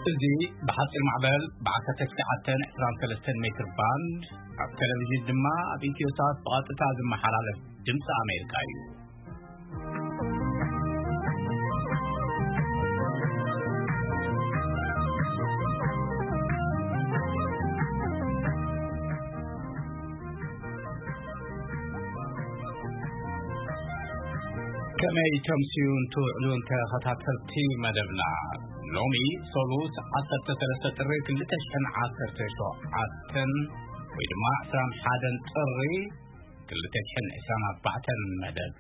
እዚ ብሓፂር ማዕበል ብ1923 ሜትር ባንድ፣ ኣብ ቴሌቪዥን ድማ ኣብ ኢትዮ ሳት ብቐጥታ ዝመሓላለፍ ድምፂ ኣሜሪካ እዩ። ከመይ ተምስዩን ትውዕሉን ተኸታተልቲ መደብና? ሎሚ ሰሉስ 13 ጥሪ 2017 ወይ ድማ 21 ጥሪ 2024 መደብ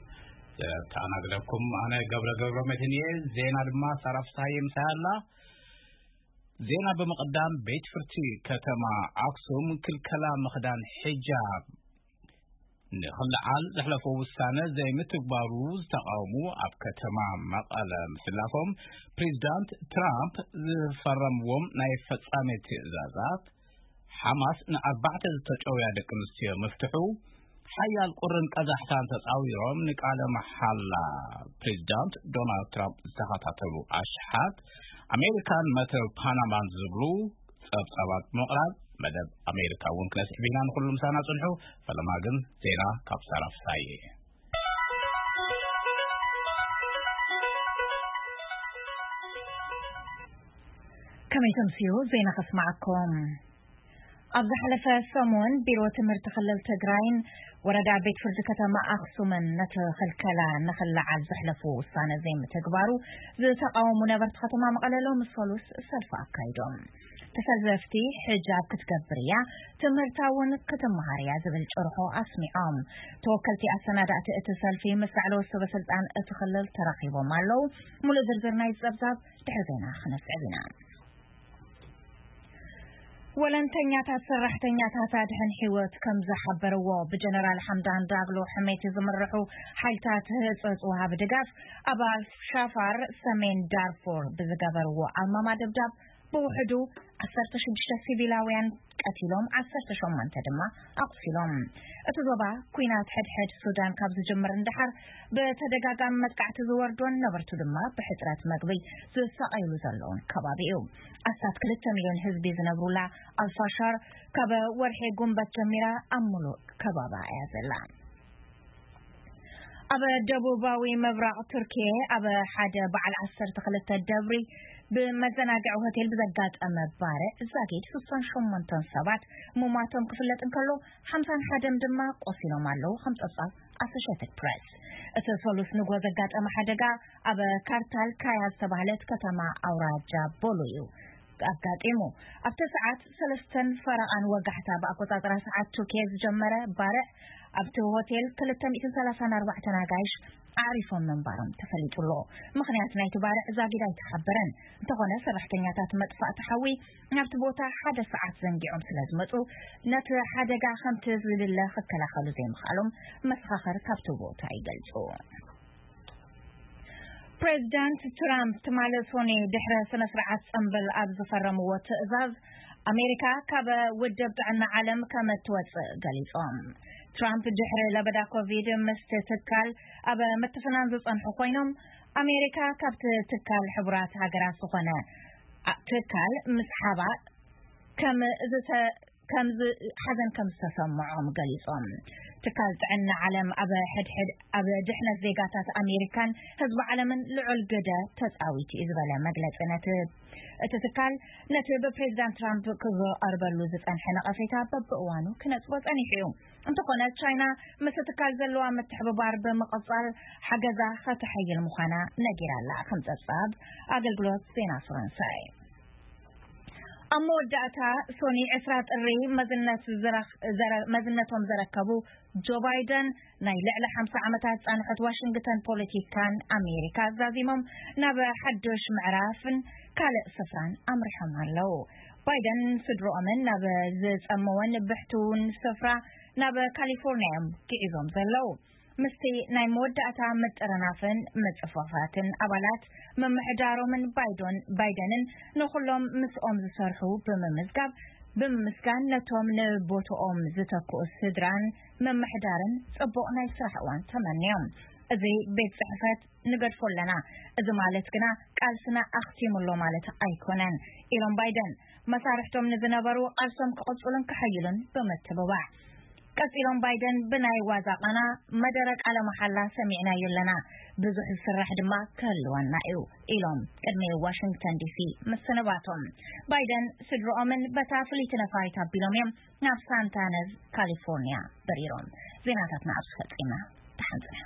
ዘተኣናግደኩም ኣነ ገብረ ገብረ መድህን እየ። ዜና ድማ ሳራ ፍስሃየ ምሳይ ኣላ። ዜና ብምቕዳም፣ ቤት ፍርዲ ከተማ ኣክሱም ክልከላ ምኽዳን ሒጃብ ንኽልዓል ዘሕለፎ ውሳነ ዘይምትግባሩ ዝተቃወሙ ኣብ ከተማ መቐለ ምስላፎም፣ ፕሬዚዳንት ትራምፕ ዝፈረምዎም ናይ ፈጻሚ ትእዛዛት፣ ሓማስ ንኣርባዕተ ዝተጨውያ ደቂ ኣንስትዮ ምፍትሑ፣ ሓያል ቁርን ቀዛሕታን ተጻዊሮም ንቃለ መሓላ ፕሬዚዳንት ዶናልድ ትራምፕ ዝተኸታተሉ ኣሽሓት ኣሜሪካን መትረብ ፓናማን ዝብሉ ጸብጻባት ብምቕራብ፣ መደብ ኣሜሪካ እውን ክነስዕብ ኢና። ንኹሉ ምሳና ጽንሑ። ፈለማ ግን ዜና ካብ ሳራ ፍሳዬ። ከመይ ተምስዩ ዜና ከስማዓኩም። ኣብ ዝሓለፈ ሰሙን ቢሮ ትምህርቲ ክልል ትግራይን ወረዳ ቤት ፍርዲ ከተማ ኣክሱምን ነቲ ክልከላ ንኽልዓል ዘሕለፉ ውሳነ ዘይምትግባሩ ዝተቃወሙ ነበርቲ ከተማ መቐለ ሎሚ ሰሉስ ሰልፊ ኣካይዶም። ተሰለፍቲ፣ ሕጃብ ክትገብር እያ፣ ትምህርታ እውን ክትመሃር እያ ዝብል ጭርሖ ኣስሚዖም። ተወከልቲ ኣሰናዳእቲ እቲ ሰልፊ ምስ ላዕለዎት ሰበ ስልጣን እቲ ክልል ተራኺቦም ኣለዉ። ሙሉእ ዝርዝር ናይ ጸብጻብ ድሕሪ ዜና ክነስዕብ ኢና። ወለንተኛታት ሰራሕተኛታት ኣድሕን ህይወት ከም ዝሓበርዎ፣ ብጀነራል ሓምዳን ዳግሎ ሕሜቲ ዝምርሑ ሓይልታት ህጹጽ ወሃቢ ድጋፍ ኣብ ኣልሻፋር ሰሜን ዳርፎር ብዝገበርዎ ኣልማማ ደብዳብ ብውሕዱ 16 ሲቪላውያን ቀቲሎም፣ 18 ድማ ኣቑሲሎም። እቲ ዞባ ኲናት ሕድሕድ ሱዳን ካብ ዝጅምር እንደሓር ብተደጋጋሚ መጥቃዕቲ ዝወርዶን ነበርቱ ድማ ብሕጽረት መግቢ ዝሳቐዩሉ ዘለውን ከባቢ እዩ። ኣስታት 2 ሚልዮን ህዝቢ ዝነብሩላ ኣልፋሻር ካብ ወርሒ ጉንበት ጀሚራ ኣብ ሙሉእ ከባባ እያ ዘላ። ኣብ ደቡባዊ ምብራቕ ቱርኪየ ኣብ ሓደ በዓል 12 ደብሪ ብመዘናግዒ ሆቴል ብዘጋጠመ ባርዕ ዛጊድ 68 ሰባት ምሟቶም ክፍለጥ እንከሎ፣ 51 ድማ ቆሲሎም ኣለዉ፣ ከም ጸብጻብ ኣሶሼትድ ፕሬስ። እቲ ሰሉስ ንጎ ዘጋጠመ ሓደጋ ኣብ ካርታል ካያ ዝተባህለት ከተማ ኣውራጃ ቦሎ እዩ ኣጋጢሙ። ኣብቲ ሰዓት ሰለስተን ፈረቓን ወጋሕታ ብኣቆጻጽራ ሰዓት ቱርኪየ ዝጀመረ ባርዕ፣ ኣብቲ ሆቴል 234 ኣጋይሽ ኣዕሪፎም ምንባሮም ተፈሊጡ ኣሎ። ምኽንያት ናይቲ ባርዕ ዛጊድ ኣይተሓበረን። እንተኾነ፣ ሰራሕተኛታት መጥፋእቲ ሓዊ ናብቲ ቦታ ሓደ ሰዓት ዘንጊዖም ስለ ዝመጹ፣ ነቲ ሓደጋ ከምቲ ዝድለ ክከላኸሉ ዘይምኽኣሎም መሰኻኽር ካብቲ ቦታ ይገልጹ። ፕሬዚዳንት ትራምፕ ትማሊ ሶኒ ድሕሪ ስነ ስርዓት ጽምብል ኣብ ዝፈረምዎ ትእዛዝ፣ ኣሜሪካ ካብ ውድብ ጥዕና ዓለም ከም እትወጽእ ገሊጾም። ትራምፕ ድሕሪ ለበዳ ኮቪድ ምስቲ ትካል ኣብ ምትፍናን ዝጸንሑ ኮይኖም፣ ኣሜሪካ ካብቲ ትካል ሕቡራት ሃገራት ዝኾነ ኣ-፣ ትካል ምስሓባ ከም ዝተ-፣ ከም ዝ-፣ ሓዘን ከም ዝተሰምዖም ገሊጾም። ትካል ጥዕና ዓለም ኣብ ሕድሕድ ኣብ ድሕነት ዜጋታት ኣሜሪካን ህዝቢ ዓለምን ልዑል ግደ ተጻዊቱ እዩ ዝበለ መግለጺ ነቲ እቲ ትካል ነቲ ብፕሬዚዳንት ትራምፕ ክቐርበሉ ዝጸንሐ ነቐፌታ በብእዋኑ ክነጽጎ ጸኒሑ እዩ። እንተኾነ፣ ቻይና ምስ ትካል ዘለዋ ምትሕብባር ብምቕጻል ሓገዛ ከተሐይል ምዃና ነጊራ ኣላ፣ ከም ጸብጻብ ኣገልግሎት ዜና ፈረንሳይ። ኣብ መወዳእታ፣ ሶኒ 20 ጥሪ መዝነት ዝረኽ-፣ ዘረ-፣ መዝነቶም ዘረከቡ ጆ ባይደን፣ ናይ ልዕሊ 50 ዓመታት ጻንሖት ዋሽንግተን ፖለቲካን ኣሜሪካ ዛዚሞም ናብ ሓድሽ ምዕራፍን ካልእ ስፍራን ኣምሪሖም ኣለዉ። ባይደን ስድሮኦምን ናብ ዝጸመወን ብሕቱውን ስፍራ ናብ ካሊፎርኒያ እዮም ግዒዞም ዘለዉ። ምስቲ ናይ መወዳእታ ምጥርናፍን ምጽፋፋትን ኣባላት ምምሕዳሮምን ባይዶን-፣ ባይደንን ንኹሎም ምስኦም ዝሰርሑ ብምምዝጋብ፣ ብምምስጋን ነቶም ንቦትኦም ዝተክኡ ስድራን ምምሕዳርን ጽቡቕ ናይ ስራሕ እዋን ተመንዮም። እዚ ቤት ጽሕፈት ንገድፎ ኣለና። እዚ ማለት ግና ቃልስና ኣኽቲሙ ኣሎ ማለት ኣይኮነን ኢሎም ባይደን። መሳርሕቶም ንዝነበሩ ቃልሶም ክቕጽሉን ክሕይሉን ብምትብባዕ። ቀጺሎም ባይደን ብናይ ዋዛ ቃና መደረ ቃለ መሓላ ሰሚዕናዮ ኣለና። ብዙሕ ዝስራሕ ድማ ክህልወና እዩ ኢሎም ቅድሚ ዋሽንግተን ዲሲ ምስንባቶም። ባይደን ስድሮኦምን በታ ፍልይቲ ነፋሪት ኣቢሎም እዮም ናብ ሳንታነዝ ካሊፎርኒያ በሪሮም። ዜናታትና ኣብዚ ፈጺምና። ተሓንጽና።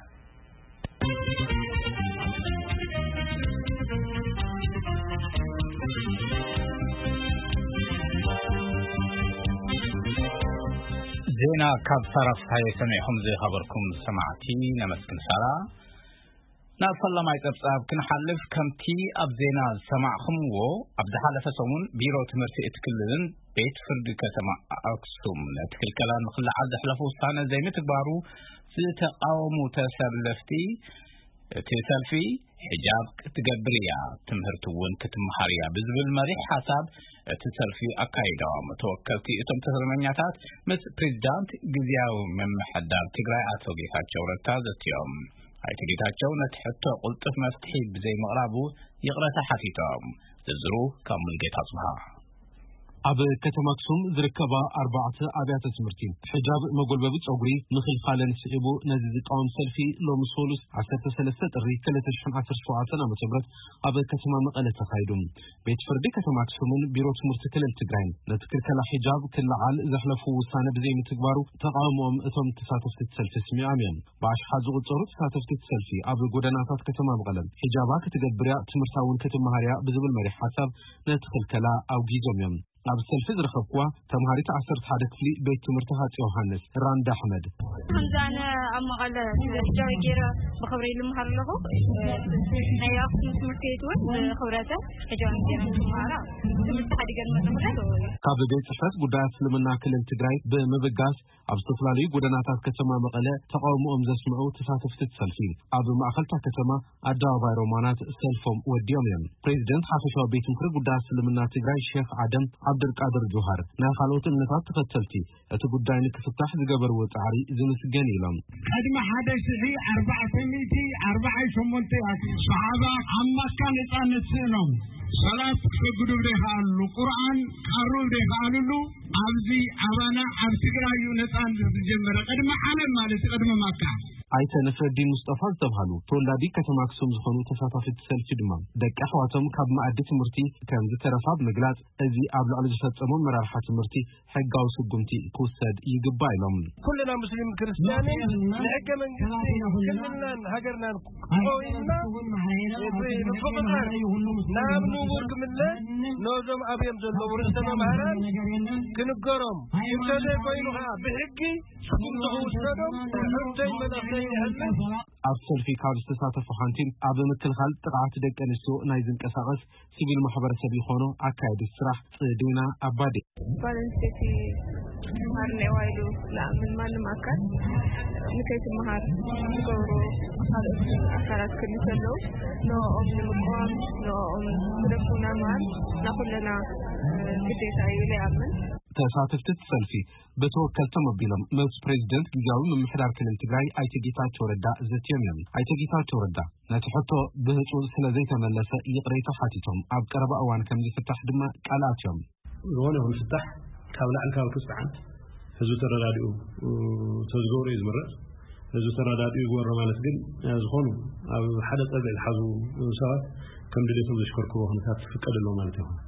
ዜና ካብ ሳራ ፍስሓየ ሰሚዕኹም ዝኸበርኩም ሰማዕቲ ነመስግን። ሳራ፣ ናብ ፈላማይ ጸብጻብ ክንሓልፍ፣ ከምቲ ኣብ ዜና ዝሰማዕኹምዎ፣ ኣብ ዝሓለፈ ሰሙን ቢሮ ትምህርቲ እቲ ክልልን ቤት ፍርዲ ከተማ ኣክሱም ነቲ ክልከላ ንኽልዓል ዘሕለፉ ውሳነ ዘይምትግባሩ ዝተቃወሙ ተሰለፍቲ፣ እቲ ሰልፊ "ሒጃብ ክትገብር እያ፣ ትምህርቲ እውን ክትመሃር እያ" ብዝብል መሪሕ ሓሳብ እቲ ሰልፊ ኣካይዶም። ተወከልቲ እቶም ተሰልፈኛታት ምስ ፕሬዚዳንት ግዝያዊ ምምሕዳር ትግራይ ኣቶ ጌታቸው ረዳ ዘትዮም። ኣይተ ጌታቸው ነቲ ሕቶ ቅልጡፍ መፍትሒ ብዘይምቕራቡ ይቕረታ ሓቲቶም። ዝርዝሩ ካብ ሙሉጌታ ኣጽብሃ። ኣብ ከተማ ኣክሱም ዝርከባ ኣርባዕተ ኣብያተ ትምህርቲ፣ ሕጃብ መጎልበቢ ጸጉሪ ምኽልኻለን ስዒቡ፣ ነዚ ዝቃወም ሰልፊ ሎሚ ሰሉስ ዓሰርተ ሰለስተ ጥሪ ክልተ ሽሕን ዓሰርተ ሸውዓተን ዓመተ ምህረት ኣብ ከተማ መቐለ ተኻይዱ። ቤት ፍርዲ ከተማ ኣክሱምን ቢሮ ትምህርቲ ክልል ትግራይን ነቲ ክልከላ ሒጃብ ክለዓል ዘሕለፉ ውሳነ ብዘይምትግባሩ፣ ተቃውሞኦም እቶም ተሳተፍቲ እቲ ሰልፊ ኣስሚዖም እዮም። ብኣሽሓት ዝቑጸሩ ተሳተፍቲ እቲ ሰልፊ፣ ኣብ ጎደናታት ከተማ መቐለ "ሒጃባ ክትገብር እያ፣ ትምህርታ እውን ክትመሃር እያ" ብዝብል መሪሕ ሓሳብ ነቲ ክልከላ ኣውጊዞም እዮም። ኣብ ሰልፊ ዝረኸብኩዋ ተምሃሪት ዓሰርተ ሓደ ክፍሊ ቤት ትምህርቲ ሃፀይ ዮሃንስ፣ ራንዳ ኣሕመድ። ከምዚ ኣነ ኣብ መቐለ እዚ ሒጃብ ገይረ ብኽብሪ ልምሃር ኣለኹ። ናይ ኣክሱም ትምህርቲ ቤት እውን ብኽብረተ ሒጃብ ገይረ ትምሃራ። ትምህርቲ ሓዲገን መፅእ ካብ ቤት ጽሕፈት ጉዳያት እስልምና ክልል ትግራይ ብምብጋስ፣ ኣብ ዝተፈላለዩ ጎደናታት ከተማ መቐለ ተቃውሞኦም ዘስምዑ ተሳተፍቲ እቲ ሰልፊ፣ ኣብ ማእኸልታ ከተማ ኣደባባይ ሮማናት ሰልፎም ወዲኦም እዮም። ፕሬዚደንት ሓፈሻዊ ቤት ምኽሪ ጉዳያት እስልምና ትግራይ ሼኽ ኣደም ዓብደልቃድር ጆሃር፣ ናይ ካልኦት እምነታት ተኸተልቲ እቲ ጉዳይ ንክፍታሕ ዝገበርዎ ጻዕሪ ዝምስገን ኢሎም። ቅድሚ ሓደ ሽሕ ኣርባዕተ ሚእቲ ኣርባዓን ሸሞንተን ሰሓባ ኣብ መካ ነጻነት ስእኖም፣ ሰላት ክሰግዱ ብደይከኣልሉ፣ ቁርኣን ክቐርቡ ብደይከኣልሉ፣ ኣብዚ ኣባና ኣብ ትግራይ እዩ ነጻነት ዝጀመረ፣ ቅድሚ ዓለም ማለት እዩ፣ ቅድሚ መካ። ኣይተ ነስረዲን ሙስጠፋ ዝተብሃሉ ተወላዲ ከተማ ኣክሱም ዝኾኑ ተሳታፊ እቲ ሰልፊ ድማ፣ ደቂ ኣሕዋቶም ካብ መኣዲ ትምህርቲ ከም ዝተረፋ ብምግላጽ፣ እዚ ኣብ ልዕሊ ዝፈጸሞ ኣመራርሓ ትምህርቲ ሕጋዊ ስጉምቲ ክውሰድ ይግባእ ኢሎም። ኩልና ሙስሊም ክርስትያንን ንሕገ መንግስቲ ክልልናን ሃገርናን ኮይንና፣ ምፍቕር ናብ ንቡር ክምለስ፣ ነዞም ኣብዮም ዘለዉ ርእሰ መምህራን ክንገሮም፣ እንተዘይኮይኑ ከዓ ብሕጊ ስጉምቲ ክውሰዶም ሕቶይ መልእኽተይ የሕልፍ። ኣብ ሰልፊ ካብ ዝተሳተፉ ሓንቲ፣ ኣብ ምክልኻል ጥቕዓት ደቂ ኣንስትዮ ናይ ዝንቀሳቐስ ሲቪል ማሕበረሰብ ይኾኖ ኣካያዲት ስራሕ ጽዴና ኣባዴ። ጓል ኣንስተይቲ ክትመሃር እኒአዋ ኢሉ ዝኣምን ማንም ኣካል ንከይትመሃር ዝገብሩ ካልኦት ኣካላት ክህሉ ከለዉ፣ ንኦም ንምቅዋም፣ ንኦም ግደፉና ምባል ናይ ኩልና ግዴታ እዩ ኢለ ይኣምን። ተሳተፍቲ እቲ ሰልፊ ብተወከልቶም ኣቢሎም ምስ ፕሬዚደንት ግዝያዊ ምምሕዳር ክልል ትግራይ ኣይተ ጌታቸው ረዳ ዘትዮም እዮም። ኣይተ ጌታቸው ረዳ ነቲ ሕቶ ብህፁፅ ስለ ዘይተመለሰ ይቕሬታ ሓቲቶም። ኣብ ቀረባ እዋን ከም ዝፍታሕ ድማ ቃል ኣትዮም። ዝኾነ ይኹን ፍታሕ ካብ ላዕሊ ካብ ክፅዓን ህዝቢ ተረዳዲኡ ተዝገብሮ እዩ ዝምረፅ። ህዝቢ ተረዳዲኡ ይግበሮ ማለት ግን፣ ዝኾኑ ኣብ ሓደ ፀግዒ ዝሓዙ ሰባት ከም ድሌቶም ዘሽከርክርዎ ኩነታት ክፍቀድ ኣለዎ ማለት ይኹን።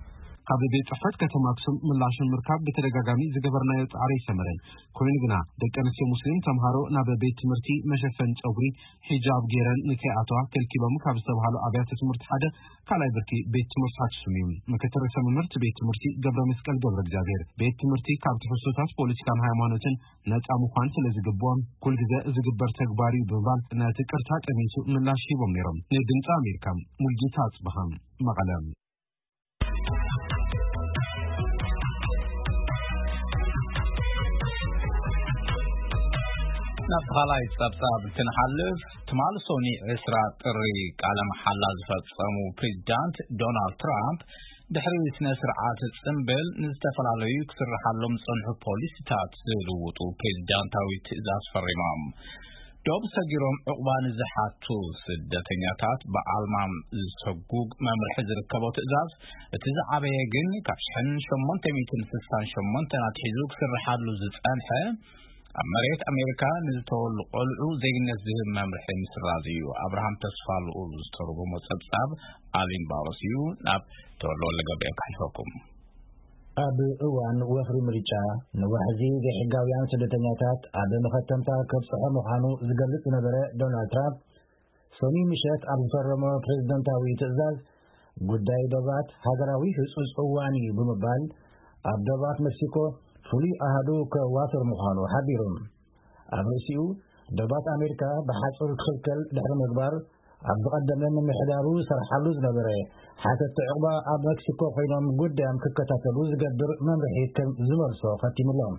ካብ ቤት ጽሕፈት ከተማ ኣክሱም ምላሽ ንምርካብ ብተደጋጋሚ ዝገበርናዮ ጻዕሪ ኣይሰመረን። ኮይኑ ግና፣ ደቂ ኣንስትዮ ሙስሊም ተምሃሮ ናብ ቤት ትምህርቲ መሸፈኒ ጸጉሪ፣ ሒጃብ፣ ገይረን ንከይኣተዋ ከልኪሎም ካብ ዝተባህሉ ኣብያተ ትምህርቲ ሓደ ካልኣይ ብርኪ ቤት ትምህርቲ ኣክሱም እዩ። ምክትል ርእሰ መምህር እቲ ቤት ትምህርቲ ገብረ መስቀል ገብረ እግዚኣብሔር፣ ቤት ትምህርቲ ካብ ትሕዝቶታት ፖለቲካን ሃይማኖትን ነጻ ምዃን ስለ ዝግብኦ፣ ኩልግዜ ዝግበር ተግባር እዩ ብምባል ነቲ ቅርታ ጠሚቱ ምላሽ ሂቦም ነይሮም። ንድምጺ ኣሜሪካ፣ ሙልጌታ ኣጽብሃ፣ መቐለ። ናብ ካልኣይ ጸብጻብ እንትንሓልፍ፣ ትማሊ ሰኑይ ዕስራ ጥሪ ቃለ መሓላ ዝፈጸሙ ፕሬዚዳንት ዶናልድ ትራምፕ፣ ድሕሪ ስነ ስርዓት ጽምብል ንዝተፈላለዩ ክስርሓሎም ዝጸንሑ ፖሊሲታት ዝልውጡ ፕሬዚዳንታዊ ትእዛዝ ፈሪሞም። ዶብ ሰጊሮም ዕቑባ ንዝሓቱ ስደተኛታት ብኣልማም ዝሰጉግ መምርሒ ዝርከቦ ትእዛዝ፣ እቲ ዝዓበየ ግን ካብ ሽሕን ሸሞንተ ሚእትን ስሳን ሸሞንተን ኣትሒዙ ክስርሓሉ ዝጸንሐ፣ ኣብ መሬት ኣሜሪካ ንዝተወሉ ቆልዑ ዜግነት ዝህብ መምርሒ ምስራዝ እዩ። ኣብርሃም ተስፋ ልኡል ዝተርጎሞ ጸብጻብ ኣሊን ባሮስ እዩ። ናብ ተወልደ ወልደ ገብርኤል ከሕልፈኩም። ኣብ እዋን ወፍሪ ምርጫ፣ ንዋሕዚ ዘይሕጋውያን ስደተኛታት ኣብ መኸተምታ ከብጽሖ ምዃኑ ዝገልጽ ዝነበረ ዶናልድ ትራምፕ፣ ሰኑይ ምሸት ኣብ ዝፈረሞ ፕሬዝደንታዊ ትእዛዝ፣ ጉዳይ ዶባት ሃገራዊ ህጹጽ እዋን እዩ ብምባል፣ ኣብ ዶባት ሜክሲኮ ፍሉይ ኣሃዱ ከዋፍር ምዃኑ ሓቢሩ። ኣብ ርእሲኡ፣ ዶባት ኣሜሪካ ብሓጹር ክኽልከል ድሕሪ ምግባር፣ ኣብ ዝቐደመ ምምሕዳሩ ዝሰርሓሉ ዝነበረ ሓተቲ ዕቑባ ኣብ ሜክሲኮ ኮይኖም ጉዳዮም ክከታተሉ ዝገብር መምርሒ ከም ዝመልሶ ከቲሙሎም።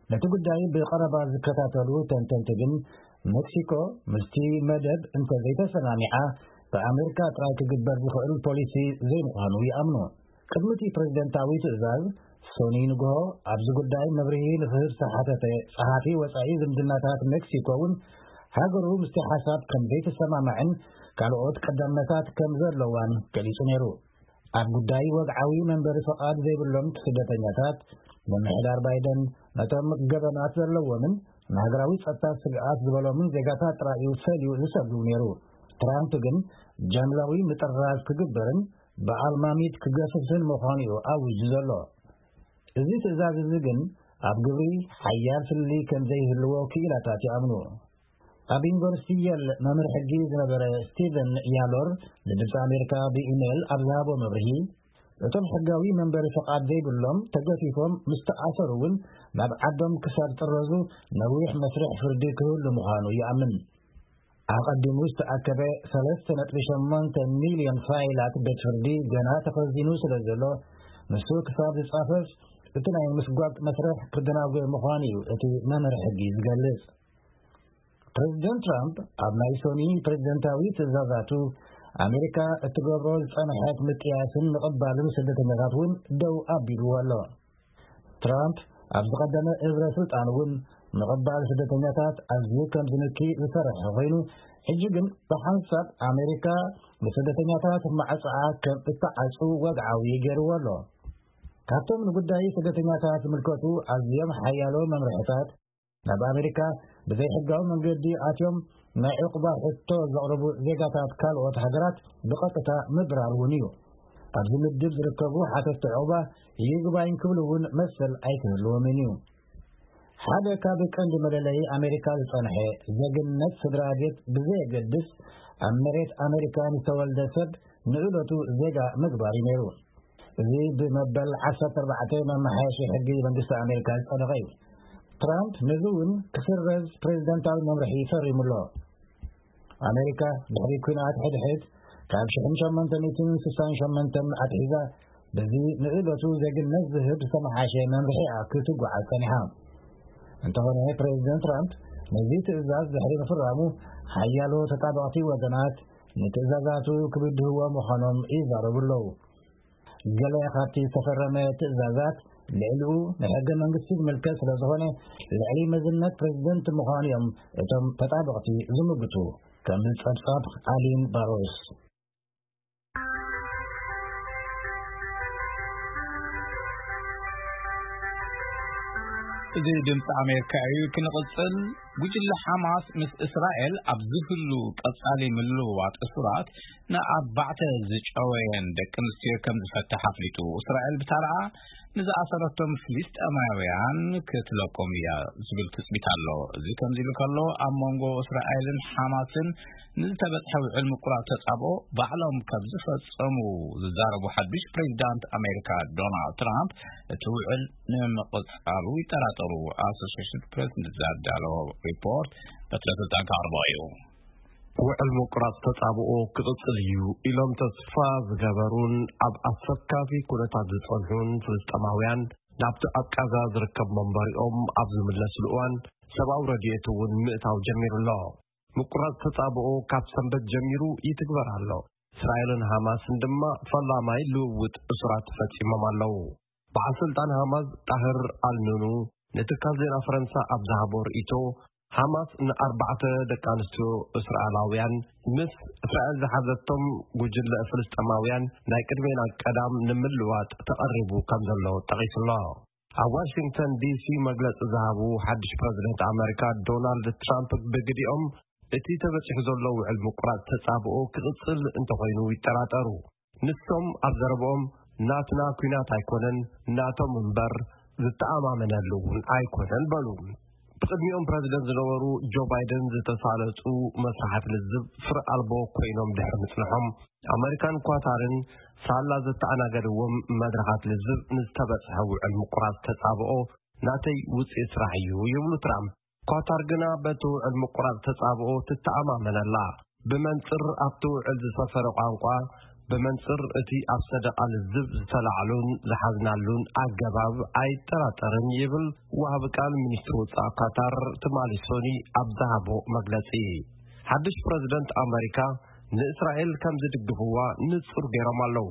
ነቲ ጉዳይ ብቐረባ ዝከታተሉ ተንተንቲ ግን፣ ሜክሲኮ ምስቲ መደብ እንተዘይተሰማሚዓ፣ ብኣሜሪካ ጥራይ ክግበር ዝኽእል ፖሊሲ ዘይምዃኑ ይኣምኑ። ቅድሚ እቲ ፕሬዝደንታዊ ትእዛዝ፣ ሰኑይ ንግሆ ኣብዚ ጉዳይ መብርሂ ንኽህብ ዝተሓተተ ጸሓፊ ወጻኢ ዝምድናታት ሜክሲኮ እውን፣ ሃገሩ ምስቲ ሓሳብ ከም ዘይተሰማማዕን ካልኦት ቀዳምነታት ከም ዘለዋን ገሊጹ ነይሩ። ኣብ ጉዳይ ወግዓዊ መንበሪ ፍቓድ ዘይብሎም ስደተኛታት፣ ምምሕዳር ባይደን ነቶም ገበናት ዘለዎምን ንሃገራዊ ጸጥታ ስግኣት ዝበሎምን ዜጋታት ጥራይ እዩ ፈልዩ ዝሰዱ ነይሩ። ትራምፕ ግን ጃምላዊ ምጥራዝ ክግበርን ብኣልማሚት ክገፍፍን ምዃኑ እዩ ኣዊጁ ዘሎ። እዚ ትእዛዝ እዚ ግን ኣብ ግብሪ ሓያል ፍልልይ ከም ዘይህልዎ ክኢላታት ይኣምኑ። ኣብ ዩኒቨርሲቲ የል መምህር ሕጊ ዝነበረ ስቲቨን ያሎር ንድምፂ ኣሜሪካ ብኢሜይል ኣብ ዝሃቦ መብርሂ፣ እቶም ሕጋዊ መንበሪ ፍቓድ ዘይብሎም ተገፊፎም ምስ ተኣሰሩ እውን ናብ ዓዶም ክሳብ ጥረዙ ነዊሕ መስርሕ ፍርዲ ክህሉ ምዃኑ ይኣምን። ኣቐዲሙ ዝተኣከበ ሰለስተ ነጥቢ ሸሞንተ ሚልዮን ፋይላት ቤት ፍርዲ ገና ተኸዚኑ ስለ ዘሎ፣ ንሱ ክሳብ ዝጻፈፍ እቲ ናይ ምስጓግ መስርሕ ክደናጎ ምዃኑ እዩ እቲ መምርሒ ሕጊ ዝገልጽ። ፕሬዚደንት ትራምፕ ኣብ ናይ ሶኒ ፕሬዚደንታዊ ትእዛዛቱ፣ ኣሜሪካ እትገብሮ ዝጸንሐት ምጥያስን ምቕባልን ስደተኛታት እውን ደው ኣቢልዎ ኣሎ። ትራምፕ ኣብ ዝቐደመ እብረ ስልጣን እውን ምቕባል ስደተኛታት ኣዝዩ ከም ዝንኪ ዝሰርሐ ኮይኑ፣ ሕጂ ግን ብሓንሳብ ኣሜሪካ ንስደተኛታት ማዕጾኣ ከም እትዓጹ ወግዓዊ ገይርዎ ኣሎ። ካብቶም ንጉዳይ ስደተኛታት ዝምልከቱ ኣዝዮም ሓያሎ መምርሕታት፣ ናብ ኣሜሪካ ብዘይሕጋዊ መንገዲ ኣትዮም ናይ ዕቑባ ሕቶ ዘቕርቡ ዜጋታት ካልኦት ሃገራት ብቐጥታ ምብራር እውን እዩ። ኣብዚ ምድብ ዝርከቡ ሓተትቲ ዕቑባ ይግባኝ ክብሉ እውን መሰል ኣይክህልዎምን እዩ። ሓደ ካብ ቀንዲ መለለዪ ኣሜሪካ ዝጸንሐ ዜግነት ስድራ ቤት ብዘየገድስ፣ ኣብ መሬት ኣሜሪካ ንዝተወልደ ሰብ ንእለቱ ዜጋ ምግባር እዩ ነይሩ። እዚ ብመበል ዓሰርተ ኣርባዕተ መመሓየሺ ሕጊ መንግስቲ ኣሜሪካ ዝጸደቐ እዩ። ትራምፕ ነዚ እውን ክስረዝ ፕሬዚደንታዊ መምርሒ ፈሪሙ ኣሎ። ኣሜሪካ ድሕሪ ኲናት ሕድሕድ ካብ ሽሕን ሸሞንተ ሚእትን ስሳን ሸሞንተን ኣትሒዛ፣ በዚ ንእለቱ ዜግነት ዝህብ ዝተመሓሸ መምርሒኣ ክትጓዓዝ ጸኒሓ። እንተኾነ፣ ፕሬዚደንት ትራምፕ ነዚ ትእዛዝ ድሕሪ ምፍራሙ፣ ሓያሎ ተጣበቕቲ ወገናት ንትእዛዛቱ ክብድህዎ ምዃኖም ይዛረቡ ኣለዉ። ገለ ካብቲ ዝተፈረመ ትእዛዛት፣ ልዕሊኡ ንሕገ መንግስቲ ዝምልከት ስለ ዝኾነ፣ ልዕሊ መዝነት ፕሬዚደንት ምዃኑ እዮም እቶም ተጣበቕቲ ዝምግቱ። ከም ጸብጻብ ኣሊን ባሮስ። እዚ ድምፂ ኣሜሪካ እዩ። ክንቕፅል፣ ጉጅለ ሓማስ ምስ እስራኤል ኣብ ዝህሉ ቀፃሊ ምልውዋጥ እሱራት፣ ንኣርባዕተ ዝጨወየን ደቂ ኣንስትዮ ከም ዝፈትሕ ኣፍሊጡ። እስራኤል ብታራኣ ንዝኣሰረቶም ፍልስጤማውያን ክትለቆም እያ ዝብል ትፅቢት ኣሎ። እዚ ከምዚ ኢሉ ከሎ፣ ኣብ መንጎ እስራኤልን ሓማስን ንዝተበፅሐ ውዕል ምቁራፅ ተፃብኦ ባዕሎም ከም ዝፈፀሙ ዝዛረቡ ሓዱሽ ፕሬዚዳንት ኣሜሪካ ዶናልድ ትራምፕ፣ እቲ ውዕል ንምቕፃሉ ይጠራጠሩ። ኣሶሽየትድ ፕሬስ ንዛዳሎ ሪፖርት በትረ ስልጣን ከቕርቦ እዩ። ውዕል ምቁራጽ ተጻብኦ ክቕጽል እዩ ኢሎም ተስፋ ዝገበሩን ኣብ ኣሰካፊ ኩነታት ዝጸንሑን ፍልስጤማውያን፣ ናብቲ ኣብ ቃዛ ዝርከብ መንበሪኦም ኣብ ዝምለስሉ እዋን፣ ሰብኣዊ ረድኤት እውን ምእታው ጀሚሩ ኣሎ። ምቁራጽ ተጻብኦ ካብ ሰንበት ጀሚሩ ይትግበር ኣሎ። እስራኤልን ሃማስን ድማ ፈላማይ ልውውጥ እሱራት ፈጺሞም ኣለዉ። በዓል ስልጣን ሃማስ ጣህር ኣልኑኑ ንትካል ዜና ፈረንሳ ኣብ ዝሃቦ ርእይቶ፣ ሓማስ ንኣርባዕተ ደቂ ኣንስትዮ እስራኤላውያን ምስ እስራኤል ዝሓዘቶም ጉጅለ ፍልስጤማውያን ናይ ቅድሜና ቀዳም ንምልዋጥ ተቐሪቡ ከም ዘሎ ጠቒሱ ኣሎ። ኣብ ዋሽንግተን ዲሲ መግለጺ ዝሃቡ ሓድሽ ፕረዚደንት ኣመሪካ ዶናልድ ትራምፕ ብግዲኦም፣ እቲ ተበጺሑ ዘሎ ውዕል ምቁራጽ ተጻብኦ ክቕጽል እንተኾይኑ ይጠራጠሩ። ንሶም ኣብ ዘረብኦም፣ ናትና ኲናት ኣይኮነን፣ ናቶም እምበር፣ ዝተኣማመነሉ እውን ኣይኮነን በሉ። ብቕድሚኦም ፕረዚደንት ዝነበሩ ጆ ባይደን ዝተሳለጡ መስራሓት ልዝብ ፍረ ኣልቦ ኮይኖም ድሕሪ ምጽንሖም፣ ኣመሪካን ኳታርን ሳላ ዘተኣናገድዎም መድረኻት ልዝብ ንዝተበጽሐ ውዕል ምቁራጽ ተጻብኦ ናተይ ውጽኢት ስራሕ እዩ ይብሉ ትራምፕ። ኳታር ግና በቲ ውዕል ምቁራጽ ተጻብኦ ትተኣማመን ኣላ። ብመንጽር ኣብቲ ውዕል ዝሰፈረ ቋንቋ፣ ብመንጽር እቲ ኣብ ሰደቓ ልዝብ ዝተላዕሉን ዝሓዝናሉን ኣገባብ ኣይጠራጠርን ይብል ወሃቢ ቃል ሚኒስትሪ ወጻኢ ኳታር ትማሊ ሶኒ ኣብ ዝሃቦ መግለጺ። ሓድሽ ፕረዚደንት ኣመሪካ ንእስራኤል ከም ዝድግፍዋ ንጹር ገይሮም ኣለዉ።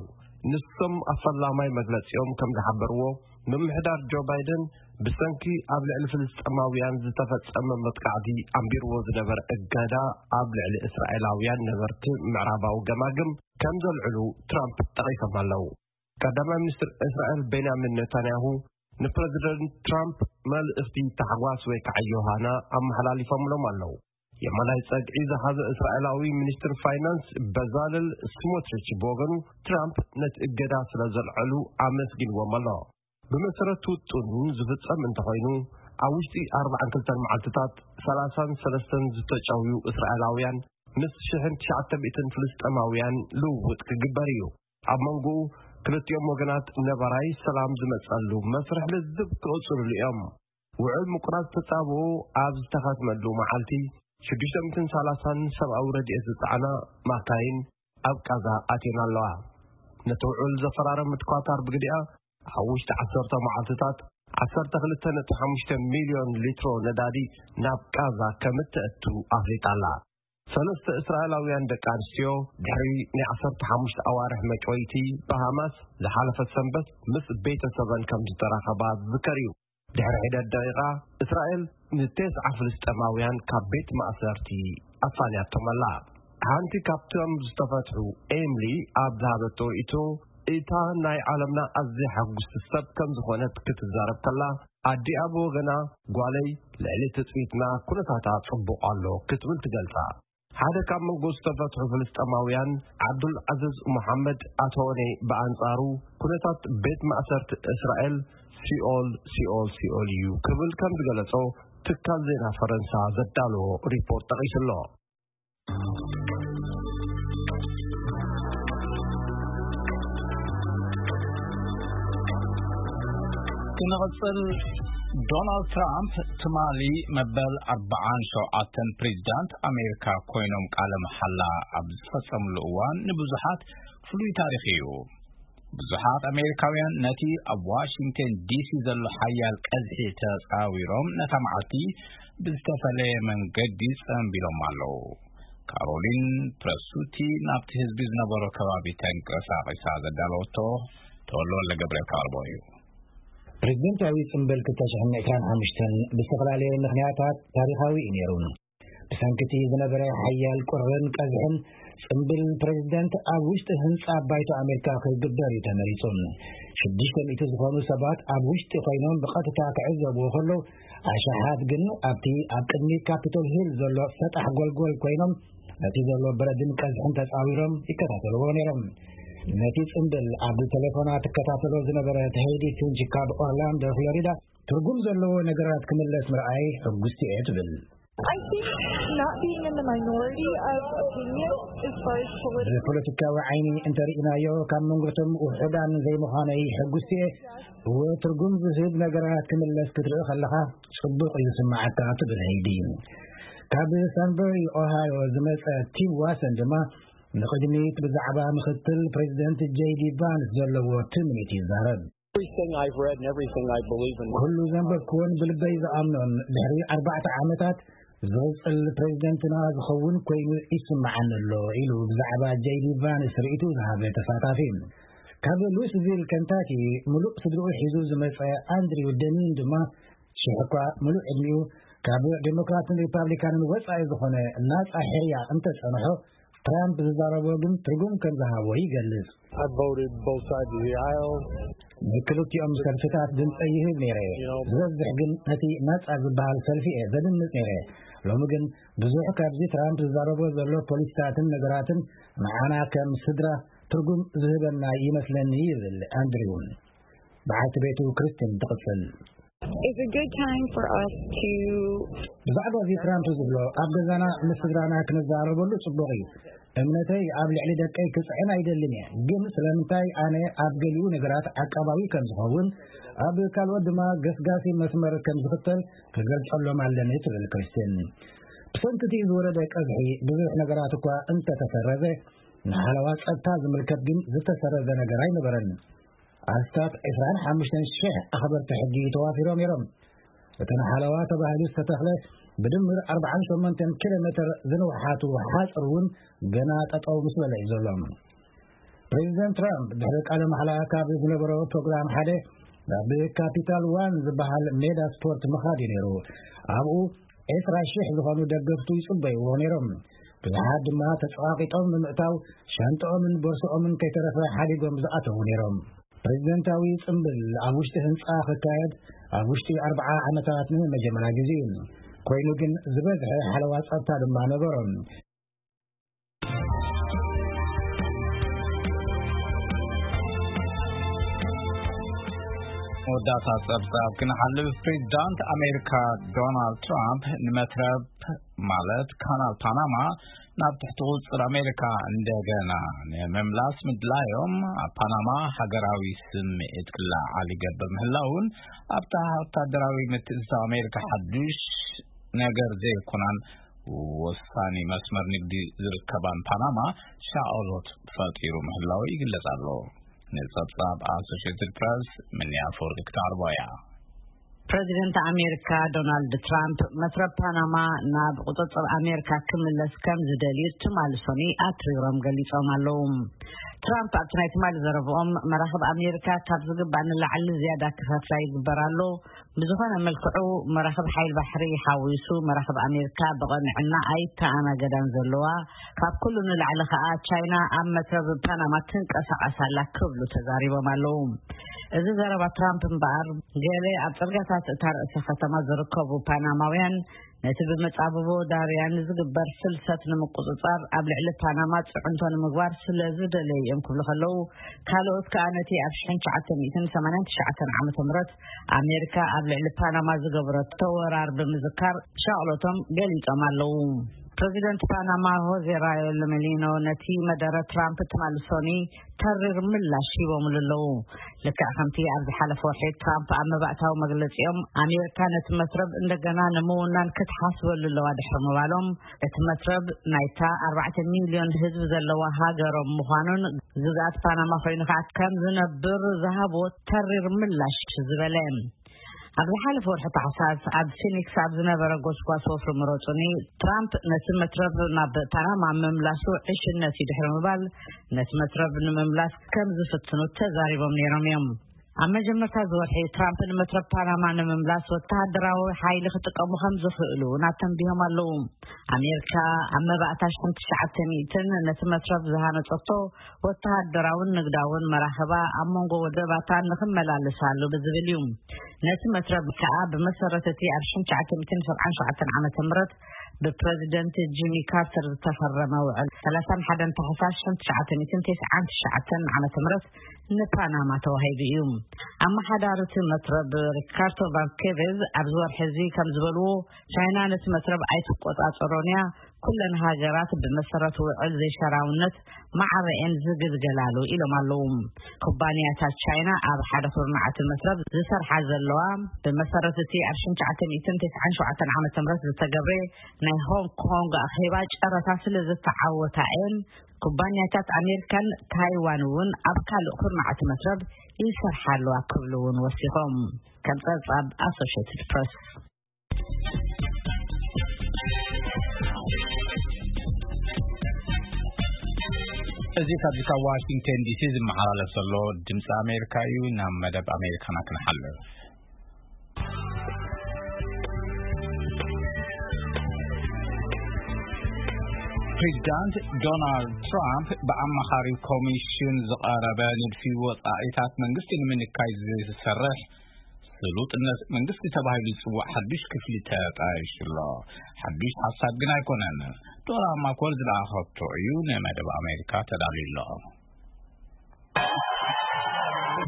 ንሶም ኣብ ፈላማይ መግለጺኦም ከም ዝሓበርዎ፣ ምምሕዳር ጆ ባይደን ብሰንኪ ኣብ ልዕሊ ፍልስጤማውያን ዝተፈጸመ መጥቃዕቲ ኣንቢርዎ ዝነበረ እገዳ ኣብ ልዕሊ እስራኤላውያን ነበርቲ ምዕራባዊ ገማግም ከም ዘልዕሉ ትራምፕ ጠቒሶም ኣለዉ። ቀዳማይ ሚኒስትር እስራኤል ቤንያሚን ኔታንያሁ ንፕረዚደንት ትራምፕ መልእኽቲ ታሕጓስ ወይ ከዓ ዮሃና ኣመሓላሊፎምሎም ኣለዉ። የማናይ ጸግዒ ዝሓዘ እስራኤላዊ ሚኒስትር ፋይናንስ በዛለል ስሞትሪች ብወገኑ፣ ትራምፕ ነቲ እገዳ ስለ ዘልዐሉ ኣመስጊንዎም ኣሎ። ብመሰረት ውጥኑ ዝፍጸም እንተኾይኑ፣ ኣብ ውሽጢ ኣርባዓን ክልተን መዓልትታት ሰላሳን ሰለስተን ዝተጨውዩ እስራኤላውያን ምስ ሽሕን ትሽዓተ ሚእትን ፍልስጤማውያን ልውውጥ ክግበር እዩ። ኣብ መንጎኡ ክልቲኦም ወገናት ነባራይ ሰላም ዝመጸሉ መስርሕ ልዝብ ክቕጽሉሉ እዮም። ውዕል ምቁራጽ ተጻብኦ ኣብ ዝተኸትመሉ መዓልቲ፣ ሽዱሽተ ሚእትን ሰላሳን ሰብኣዊ ረድኤት ዝጸዓና ማካይን ኣብ ቃዛ ኣትየን ኣለዋ። ነቲ ውዕል ዘፈራረመት ኳታር ብግዲኣ፣ ኣብ ውሽጢ ዓሰርተ መዓልትታት ዓሰርተ ክልተ ነጥቢ ሓሙሽተ ሚልዮን ሊትሮ ነዳዲ ናብ ቃዛ ከም እተእቱ ኣፍሊጣ ኣላ። ሰለስተ እስራኤላውያን ደቂ ኣንስትዮ ድሕሪ ናይ ዓሰርተ ሓሙሽተ ኣዋርሕ መጭወይቲ ብሃማስ ዝሓለፈት ሰንበት ምስ ቤተሰበን ከም ዝተራኸባ ዝዝከር እዩ። ድሕሪ ሒደት ደቂቓ፣ እስራኤል ንቴስዓ ፍልስጤማውያን ካብ ቤት ማእሰርቲ ኣፋንያቶም ኣላ። ሓንቲ ካብቶም ዝተፈትሑ፣ ኤምሊ፣ ኣብ ዝሃበቶ ርእይቶ፣ እታ ናይ ዓለምና ኣዝያ ሕጉስቲ ሰብ ከም ዝኾነት ክትዛረብ ከላ፣ ኣዲኣ ብወገና፣ ጓለይ፣ ልዕሊ ትጽቢትና ኩነታታ ጽቡቕ ኣሎ ክትብል ትገልጻ። ሓደ ካብ መንጎ ዝተፈትሑ ፍልስጤማውያን፣ ዓብዱል ዓዝዝ መሓመድ ኣቶኔ፣ ብኣንጻሩ፣ ኩነታት ቤት ማእሰርቲ እስራኤል ሲኦል፣ ሲኦል፣ ሲኦል እዩ ክብል ከም ዝገለጾ ትካል ዜና ፈረንሳ ዘዳለዎ ሪፖርት ጠቒሱ ኣሎ። ክንቕጽል፣ ዶናልድ ትራምፕ ትማሊ መበል ኣርባዓን ሸውዓተን ፕሬዚዳንት ኣሜሪካ ኮይኖም ቃለ መሓላ ኣብ ዝፈጸምሉ እዋን ንብዙሓት ፍሉይ ታሪኽ እዩ። ብዙሓት ኣሜሪካውያን ነቲ ኣብ ዋሽንግተን ዲሲ ዘሎ ሓያል ቀዝሒ ተጻዊሮም ነታ መዓልቲ ብዝተፈለየ መንገዲ ጸንቢሎም ኣለዉ። ካሮሊን ፕረሱቲ ናብቲ ህዝቢ ዝነበሮ ከባቢ ተንቀሳቒሳ ዘዳለወቶ ተወልደ ወልደ ገብርኤል ክቐርቦ እዩ። ፕሬዚደንታዊ ጽምብል ክልተ ሽሕን ዕስራን ሓሙሽተን ብዝተፈላለየ ምኽንያታት ታሪኻዊ እዩ ነይሩ። ብሰንኪ እቲ ዝነበረ ሓያል ቁርን ቀዝሕን፣ ጽምብል ፕሬዚደንት ኣብ ውሽጢ ህንጻ ባይቶ ኣሜሪካ ክግበር እዩ ተመሪጹ። ሽዱሽተ ሚእቲ ዝኾኑ ሰባት ኣብ ውሽጢ ኮይኖም ብቐጥታ ክዕዘብዎ ከለዉ፣ ኣሽሓት ግን ኣብቲ ኣብ ቅድሚ ካፒቶል ሂል ዘሎ ሰጣሕ ጎልጎል ኮይኖም፣ ነቲ ዘሎ በረድን ቀዝሕን ተጻዊሮም ይከታተልዎ ነይሮም። ነቲ ጽምብል ኣብ ቴሌፎና ትከታተሎ ዝነበረት ሄይዲ ፊንች ካብ ኦርላንዶ ፍሎሪዳ፣ ትርጉም ዘለዎ ነገራት ክምለስ ምርኣይ ሕጉስቲ እየ ትብል። I think not being in the minority of opinion as far as political ብፖለቲካዊ ዓይኒ እንተርኢናዮ፣ ካብ መንጎቶም ውሑዳን ዘይምዃነይ ሕጉስቲ እየ። እወ፣ ትርጉም ዝህብ ነገራት ክምለስ ክትርኢ ከለኻ ጽቡቕ እዩ ዝስምዓካ ትብል ሄይዲ። ካብ ሳንበሪ ኦሃዮ ዝመጸ ቲም ዋሰን ድማ ንቕድሚት ብዛዕባ ምኽትል ፕሬዚደንት ጄይ ዲ ቫንስ ዘለዎ ትምኒት ይዛረብ። Everything I've read and everything I believe in. ኩሉ ዘንበብክዎን ብልበይ ዝኣምኖን ድሕሪ ኣርባዕተ ዓመታት ዝቕጽል ፕሬዚደንትና ዝኸውን ኮይኑ ይስምዓኒ ኣሎ ኢሉ ብዛዕባ ጄይ ዲ ቫንስ ርእይቱ ዝሃበ ተሳታፊ። ካብ ሉስቪል ከንታኪ ምሉእ ስድርኡ ሒዙ ዝመጸ ኣንድሪው ደሚን ድማ ሽሕ እኳ ምሉእ ዕድሚኡ ካብ ዴሞክራትን ሪፓብሊካንን ወጻኢ ዝኾነ ናጻ ሕርያ እንተጸንሖ፣ ትራምፕ ዝዛረቦ ግን ትርጉም ከም ዝሃቦ ይገልጽ። I voted both sides of the aisle. ንክልቲኦም ሰልፍታት ድምጸ ይህብ ነይረ። ዝበዝሕ ግን ነቲ ናጻ ዝበሃል ሰልፊ እየ ዘድምጽ ነይረ። ሎሚ ግን ብዙሕ ካብዚ ትራምፕ ዝዛረቦ ዘሎ ፖሊሲታትን ነገራትን ንዓና ከም ስድራ ትርጉም ዝህበና ይመስለኒ ይብል ኣንድሪው። በዓልቲ ቤቱ ክርስቲን ትቕጽል። It's a good time for us to ብዛዕባ እዚ ትራምፕ ዝብሎ ኣብ ገዛና ምስ ስድራና ክንዛረበሉ ጽቡቕ እዩ። እምነተይ ኣብ ልዕሊ ደቀይ ክጽዕን ኣይደልን እየ፣ ግን ስለምንታይ ኣነ ኣብ ገሊኡ ነገራት ዓቃባዊ ከም ዝኸውን፣ ኣብ ካልኦት ድማ ገስጋሲ መስመር ከም ዝኽተል ክገልጸሎም ኣለኒ ትብል ክርስቲን። ብሰንኪ እቲ ዝወረደ ቀዝሒ ብዙሕ ነገራት እኳ እንተተሰረዘ፣ ንሓለዋ ጸጥታ ዝምልከት ግን ዝተሰረዘ ነገር ኣይነበረን። ኣስታት ዕስራን ሓሙሽተን ሽሕ ኣኽበርቲ ሕጊ ተዋፊሮም ነይሮም። እተን ሓለዋ ተባሂሉ ዝተተኽለ ብድምር ኣርባዓን ሸሞንተን ኪሎ ሜትር ዝንውሓቱ ሓጽር እውን ገና ጠጠው ምስ በለ እዩ ዘሎ። ፕሬዚደንት ትራምፕ ድሕሪ ቃለ ማሕላ ካብ ዝነበሮ ፕሮግራም ሓደ ናብ ካፒታል ዋን ዝበሃል ሜዳ ስፖርት ምኻድ እዩ ነይሩ። ኣብኡ ዕስራ ሽሕ ዝኾኑ ደገፍቱ ይጽበይዎ ነይሮም። ብዙሓት ድማ ተጸቓቒጦም ንምእታው ሻንጣኦምን ቦርሶኦምን ከይተረፈ ሓዲጎም ዝኣተዉ ነይሮም። ፕሬዚደንታዊ ጽምብል ኣብ ውሽጢ ህንጻ ክካየድ ኣብ ውሽጢ ኣርብዓ ዓመታት ንመጀመርያ ግዜ እዩ። ኮይኑ ግን ዝበዝሐ ሓለዋ ጸጥታ ድማ ነበሮም። መወዳእታ ጸብጻብ ክንሓልፍ፣ ፕሬዚዳንት ኣሜሪካ ዶናልድ ትራምፕ ንመትረብ ማለት ካናል ፓናማ ናብ ትሕቲ ቁጽር ኣሜሪካ እንደገና ንምምላስ ምድላዮም ኣብ ፓናማ ሃገራዊ ስምዒት ክለዓል ይገብር ምህላውን ኣብታ ወታደራዊ ምትእትታው ኣሜሪካ ሓዱሽ ነገር ዘይኮናን ወሳኒ መስመር ንግዲ ዝርከባን ፓናማ ሻቕሎት ፈጢሩ ምህላው ይግለጽ ኣሎ። ንጸብጻብ ኣሶሽየትድ ፕረስ፣ ምንያ ኣፈወርቂ ክተቕርቦ እያ። ፕረዚደንት ኣሜሪካ ዶናልድ ትራምፕ መትረብ ፓናማ ናብ ቁጽጽር ኣሜሪካ ክምለስ ከም ዝደልዩ ትማሊ ሰኑይ ኣትሪሮም ገሊጾም ኣለዉ። ትራምፕ ኣብቲ ናይ ትማሊ ዘረብኦም፣ መራኽብ ኣሜሪካ ካብ ዝግባእ ንላዕሊ ዝያዳ ክኸፍላ ይግበር ኣሎ፣ ብዝኾነ መልክዑ መራኽብ ሓይል ባሕሪ ሓዊሱ መራኽብ ኣሜሪካ ብቐንዕና ኣይተኣናገዳን ዘለዋ፣ ካብ ኩሉ ንላዕሊ ከኣ ቻይና ኣብ መትረብ ፓናማ ትንቀሳቐስ ኣላ ክብሉ ተዛሪቦም ኣለዉ። እዚ ዘረባ ትራምፕ እምበኣር፣ ገለ ኣብ ጽርግያታት እታ ርእሰ ከተማ ዝርከቡ ፓናማውያን ነቲ ብመጻብቦ ዳርያን ዝግበር ፍልሰት ንምቁጽጻር ኣብ ልዕሊ ፓናማ ጽዕንቶ ንምግባር ስለ ዝደለዩ እዮም ክብሉ ከለዉ፣ ካልኦት ከኣ ነቲ ኣብ ሽሕን ትሽዓተ ሚእትን ሰማንያን ትሽዓተን ዓመተ ምህረት ኣሜሪካ ኣብ ልዕሊ ፓናማ ዝገበረቶ ወራር ብምዝካር ሻቕሎቶም ገሊጾም ኣለዉ። ፕረዚደንት ፓናማ ሆዜ ራዮ ሎሜሊኖ ነቲ መደረ ትራምፕ ትማሊ ሰኑይ ተሪር ምላሽ ሂቦምሉ ኣለዉ። ልክዕ ከምቲ ኣብ ዝሓለፈ ወርሒ ትራምፕ ኣብ መባእታዊ መግለጺኦም፣ ኣሜሪካ ነቲ መትረብ እንደገና ንምውናን ክትሓስበሉ ኣለዋ ድሕሪ ምባሎም፣ እቲ መትረብ ናይታ ኣርባዕተ ሚልዮን ህዝቢ ዘለዋ ሃገሮም ምዃኑን፣ ግዝኣት ፓናማ ኮይኑ ከዓ ከም ዝነብር ዝሃብዎ ተሪር ምላሽ ዝበለ። ኣብ ዝሓለፈ ወርሒ ታሕሳስ ኣብ ፊኒክስ ኣብ ዝነበረ ጎስጓስ ወፍሪ ምረጹኒ፣ ትራምፕ ነቲ መትረብ ናብ ፓናማ ምምላሱ ዕሽነት እዩ ድሕሪ ምባል፣ ነቲ መትረብ ንምምላስ ከም ዝፍትኑ ተዛሪቦም ነይሮም እዮም። ኣብ መጀመርታ እዚ ወርሒ ትራምፕ ንመትረብ ፓናማ ንምምላስ ወተሃደራዊ ሓይሊ ክጥቀሙ ከም ዝኽእሉ እውን ኣተንቢሆም ኣለዉ። ኣሜሪካ ኣብ መባእታ ሽሕን ትሽዓተ ሚእትን ነቲ መትረብ ዝሃነጸቶ ወተሃደራውን ንግዳውን መራኽባ ኣብ መንጎ ወደባታ ንኽመላለሳሉ ብዝብል እዩ። ነቲ መትረብ ከኣ ብመሰረት እቲ ኣብ ሽሕን ትሽዓተ ሚእትን ሰብዓን ሸውዓተን ዓመተ ምህረት ብፕረዚደንት ጂሚ ካርተር ዝተፈረመ ውዕል ሰላሳን ሓደን ታሕሳስ ሽሕን ትሽዓተ ሚእትን ተስዓን ትሽዓተን ዓመተ ምህረት ንፓናማ ተዋሂቡ እዩ። ኣመሓዳሪ እቲ መትረብ ሪካርዶ ቫልኬቬዝ ኣብዚ ወርሒ እዚ ከም ዝበልዎ፣ ቻይና ነቲ መትረብ ኣይትቆጻጸሮን እያ፣ ኩለን ሃገራት ብመሰረት ውዕል ዘይሸራውነት ማዕረኤን ዝግልገላሉ ኢሎም ኣለዉ። ኩባንያታት ቻይና ኣብ ሓደ ኩርናዕ እቲ መትረብ ዝሰርሓ ዘለዋ፣ ብመሰረት እቲ ኣብ ሽሕን ትሽዓተ ሚእትን ተስዓን ሸውዓተን ዓመተ ምህረት ዝተገብረ ናይ ሆንግ ኮንግ ኣኼባ ጨረታ ስለ ዝተዓወታ እየን፣ ኩባንያታት ኣሜሪካን ታይዋን እውን ኣብ ካልእ ኩርናዕ እቲ መትረብ ይሰርሓ ኣለዋ ክብሉ እውን ወሲኾም። ከም ጸብጻብ ኣሶሽየትድ ፕረስ። እዚ ካብዚ ካብ ዋሽንግተን ዲሲ ዝመሓላለፍ ዘሎ ድምፂ ኣሜሪካ እዩ። ናብ መደብ ኣሜሪካና ክንሓልፍ። ፕሬዚዳንት ዶናልድ ትራምፕ ብኣማኻሪ ኮሚሽን ዝቐረበ ንድፊ ወጻኢታት መንግስቲ ንምንካይ ዝሰርሕ ስሉጥነት መንግስቲ ተባሂሉ ዝጽዋዕ ሓዱሽ ክፍሊ ተጣይሹ ኣሎ። ሓዱሽ ሓሳብ ግን ኣይኮነን። ዶራ ማኮል ዝለኣኸቶ እዩ። ንመደብ ኣሜሪካ ተዳልዩ ኣሎ።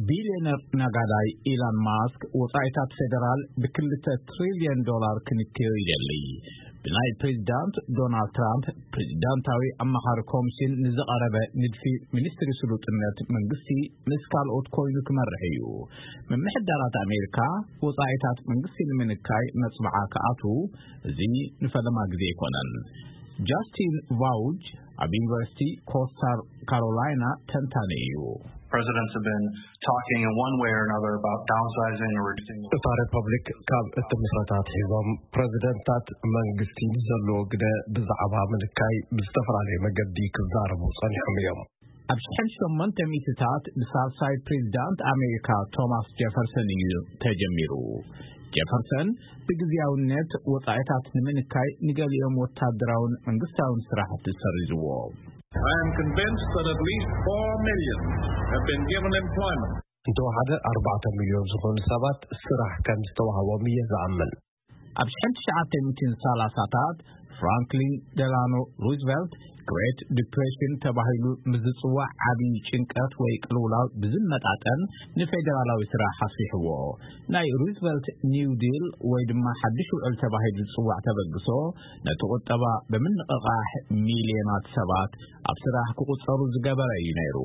ቢልዮነር ነጋዳይ ኢላን ማስክ ወጻኢታት ፌደራል ብ2 ትሪልዮን ዶላር ክንክዮ ይደሊ። ብናይ ፕሬዚዳንት ዶናልድ ትራምፕ ፕሬዚዳንታዊ ኣማኻሪ ኮሚሽን ንዝቐረበ ንድፊ ሚኒስትሪ ስሉጥነት መንግስቲ ምስ ካልኦት ኮይኑ ክመርሕ እዩ። ምምሕዳራት ኣሜሪካ ወጻኢታት መንግስቲ ንምንካይ መጽብዓ ክኣትዉ እዚ ንፈለማ ግዜ ኣይኮነን። ጃስቲን ቫውጅ ኣብ ዩኒቨርሲቲ ኮስታ ካሮላይና ተንታኒ እዩ። Presidents have been talking in one way or another about downsizing or reducing. እታ ሪፐብሊክ ካብ እትምስረት ኣትሒዞም ፕረዚደንታት መንግስቲ ንዘለዎ ግደ ብዛዕባ ምንካይ ብዝተፈላለየ መገዲ ክዛረቡ ጸኒሖም እዮም። ኣብ ሽሕን ሸሞንተ ሚእትታት ብሳልሳይ ፕሬዚዳንት ኣሜሪካ ቶማስ ጀፈርሰን እዩ ተጀሚሩ። ጀፈርሰን ብግዜያውነት ወጻኢታት ንምንካይ ንገሊኦም ወታደራውን መንግስታውን ስራሕቲ ሰሪዝዎ። I am convinced that at least four million have been given employment. እንተወሓደ ኣርባዕተ ሚልዮን ዝኾኑ ሰባት ስራሕ ከም ዝተዋህቦም እየ ዝኣምን። ኣብ ሽሕን ትሽዓተ ሚእትን ሰላሳታት ፍራንክሊን ደላኖ ሩዝቨልት ግሬት ዲፕሬሽን ተባሂሉ ምስ ዝጽዋዕ ዓቢ ጭንቀት ወይ ቅልውላው ብዝመጣጠን ንፌደራላዊ ስራሕ ኣስፊሕዎ። ናይ ሩዝቨልት ኒው ዲል ወይ ድማ ሓድሽ ውዕል ተባሂሉ ዝጽዋዕ ተበግሶ ነቲ ቁጠባ ብምንቕቓሕ ሚልዮናት ሰባት ኣብ ስራሕ ክቑጸሩ ዝገበረ እዩ ነይሩ።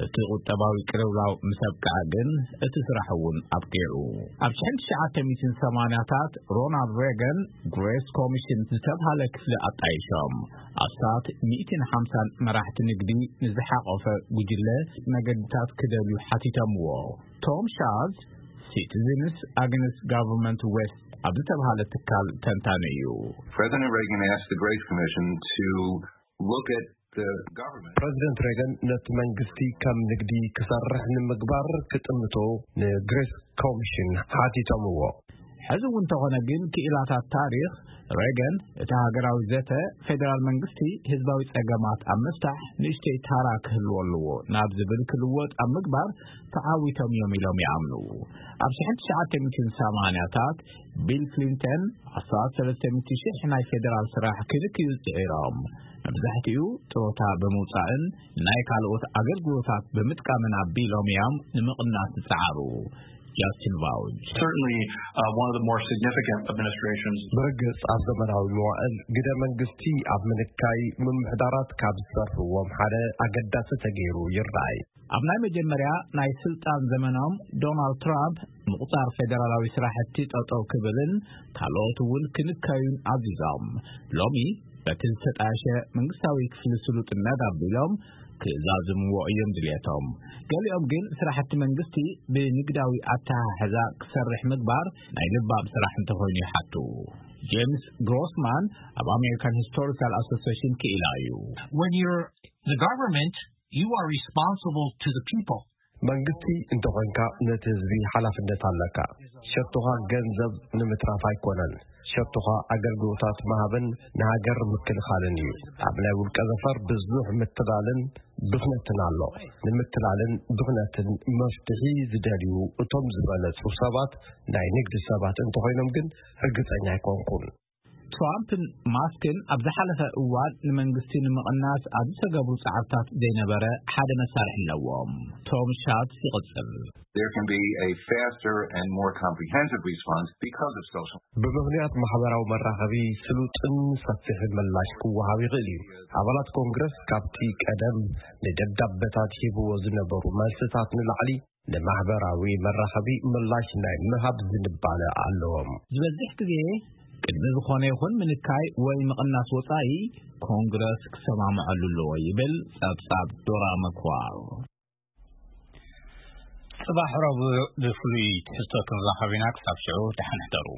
እቲ ቁጠባዊ ቅልውላው ምስ ኣብቅዐ ግን እቲ ስራሕ እውን ኣብቂዑ። ኣብ ሽሕን ትሽዓተ ሚእትን ሰማንያታት ሮናልድ ሬገን ግሬስ ኮሚሽን ዝተብሃለ ክፍሊ ኣጣይሾም። ኣስታት ሚእትን ሓምሳን መራሕቲ ንግዲ ንዝሓቖፈ ጉጅለ መገድታት ክደልዩ ሓቲቶምዎ። ቶም ሻዝ ሲቲዝንስ ኣግንስት ጋቨርንመንት ዌስት ኣብ ዝተብሃለ ትካል ተንታኒ እዩ። President Reagan asked the Grace Commission to look at the government. ፕረዚደንት ሬገን ነቲ መንግስቲ ከም ንግዲ ክሰርሕ ንምግባር ክጥምቶ ንግሬስ ኮሚሽን ሓቲቶምዎ። ሕዚ እውን እንተኾነ ግን ክኢላታት ታሪኽ ሬገን እቲ ሃገራዊ ዘተ ፌደራል መንግስቲ ህዝባዊ ጸገማት ኣብ ምፍታሕ ንእሽተይ ታራ ክህልዎ ኣለዎ ናብ ዝብል ክልወጥ ኣብ ምግባር ተዓዊቶም እዮም ኢሎም ይኣምኑ። ኣብ ሽሕን ትሽዓተ ሚእትን ሰማንያታት ቢል ክሊንተን ኣስታት ሰለስተ ሚእቲ ሽሕ ናይ ፌደራል ስራሕ ክንክዩ ጽዒሮም። መብዛሕትኡ ጥሮታ ብምውጻእን ናይ ካልኦት ኣገልግሎታት ብምጥቃምን ኣቢሎም እዮም ንምቕናስ ዝጸዓሩ። ጃስቲን ቫውጅ Certainly, uh, one of the more significant administrations. ብርግጽ ኣብ ዘመናዊ መዋእል ግደ መንግስቲ ኣብ ምንካይ ምምሕዳራት ካብ ዝሰርሕዎም ሓደ ኣገዳሲ ተገይሩ ይረኣይ። ኣብ ናይ መጀመርያ ናይ ስልጣን ዘመኖም ዶናልድ ትራምፕ ምቑጻር ፌደራላዊ ስራሕቲ ጠጠው ክብልን ካልኦት እውን ክንካዩን ኣዚዞም። ሎሚ በቲ ዝተጣየሸ መንግስታዊ ክፍሊ ስሉጥነት ኣቢሎም ክዛዝምዎ እዮም ድልየቶም። ገሊኦም ግን ስራሕቲ መንግስቲ ብንግዳዊ ኣተሓሕዛ ክሰርሕ ምግባር ናይ ልባም ስራሕ እንተኾይኑ ይሓቱ። ጄምስ ግሮስማን ኣብ ኣሜሪካን ሂስቶሪካል ኣሶሲሽን ክኢላ እዩ። When you're the government, you are responsible to the people. መንግስቲ እንተኾንካ ነቲ ህዝቢ ሓላፍነት ኣለካ። ሸቶኻ ገንዘብ ንምትራፍ ኣይኮነን። ሸቶኻ ኣገልግሎታት ምሃብን ንሃገር ምክልኻልን እዩ። ኣብ ናይ ውልቀ ዘፈር ብዙሕ ምትላልን ብኽነትን ኣሎ። ንምትላልን ብኽነትን መፍትሒ ዝደልዩ እቶም ዝበለጹ ሰባት ናይ ንግዲ ሰባት እንተኾይኖም ግን ርግጸኛ ኣይኮንኩን። ትራምፕን ማስክን ኣብ ዝሓለፈ እዋን ንመንግስቲ ንምቕናስ ኣብ ዝተገብሩ ጻዕርታት ዘይነበረ ሓደ መሳርሒ ኣለዎም። ቶም ሻትስ ይቕጽል። There can be a faster and more comprehensive response because of social. ብምኽንያት ማሕበራዊ መራኸቢ ስሉጥን ሰፊሕን ምላሽ ክወሃብ ይኽእል እዩ። ኣባላት ኮንግረስ ካብቲ ቀደም ንደብዳበታት ሂብዎ ዝነበሩ መልስታት ንላዕሊ ንማሕበራዊ መራኸቢ ምላሽ ናይ ምሃብ ዝንባለ ኣለዎም። ዝበዝሕ ግዜ ቅድሚ ዝኾነ ይኹን ምንካይ ወይ ምቕናስ ወጻኢ ኮንግረስ ክሰማምዐሉ ኣለዎ ይብል ጸብጻብ ዶራ መክዋር። ጽባሕ ረቡዕ ብፍሉይ ትሕዝቶ ክንራኸብ ኢና። ክሳብ ሽዑ ደሓን ሕደሩ።